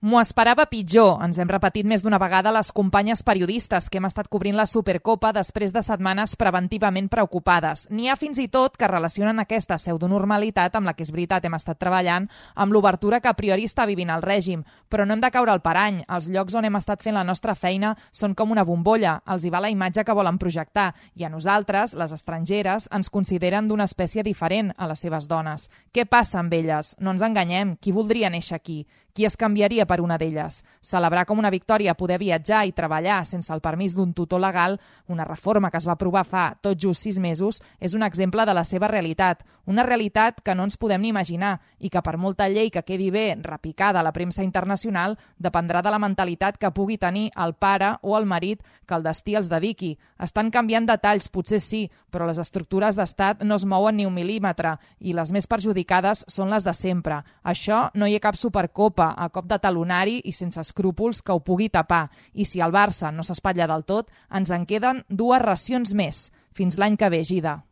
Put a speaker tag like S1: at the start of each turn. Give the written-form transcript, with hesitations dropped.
S1: M'ho esperava pitjor, ens hem repetit més d'una vegada les companyes periodistes que hem estat cobrint la Supercopa després de setmanes preventivament preocupades. N'hi ha fins i tot que relacionen aquesta pseudonormalitat amb la que és veritat hem estat treballant, amb l'obertura que a priori està vivint el règim. Però no hem de caure al parany. Els llocs on hem estat fent la nostra feina són com una bombolla. Els hi va la imatge que volen projectar i a nosaltres, les estrangeres, ens consideren d'una espècie diferent a les seves dones. Què passa amb elles? No ens enganyem. Qui voldria néixer aquí? Qui es canviaria per una d'elles? Celebrar com una victòria poder viatjar i treballar sense el permís d'un tutor legal, una reforma que es va aprovar fa tot just 6 mesos, és un exemple de la seva realitat. Una realitat que no ens podem ni imaginar i que per molta llei que quedi bé repicada a la premsa internacional dependrà de la mentalitat que pugui tenir el pare o el marit que el destí els dediqui. Estan canviant detalls, potser sí, però les estructures d'estat no es mouen ni un mil·límetre i les més perjudicades són les de sempre. Això no hi ha cap supercopa a cop de talonari i sense escrúpols que ho pugui tapar. I si el Barça no s'espatlla del tot, ens en queden 2 racions més. Fins l'any que ve, Gida.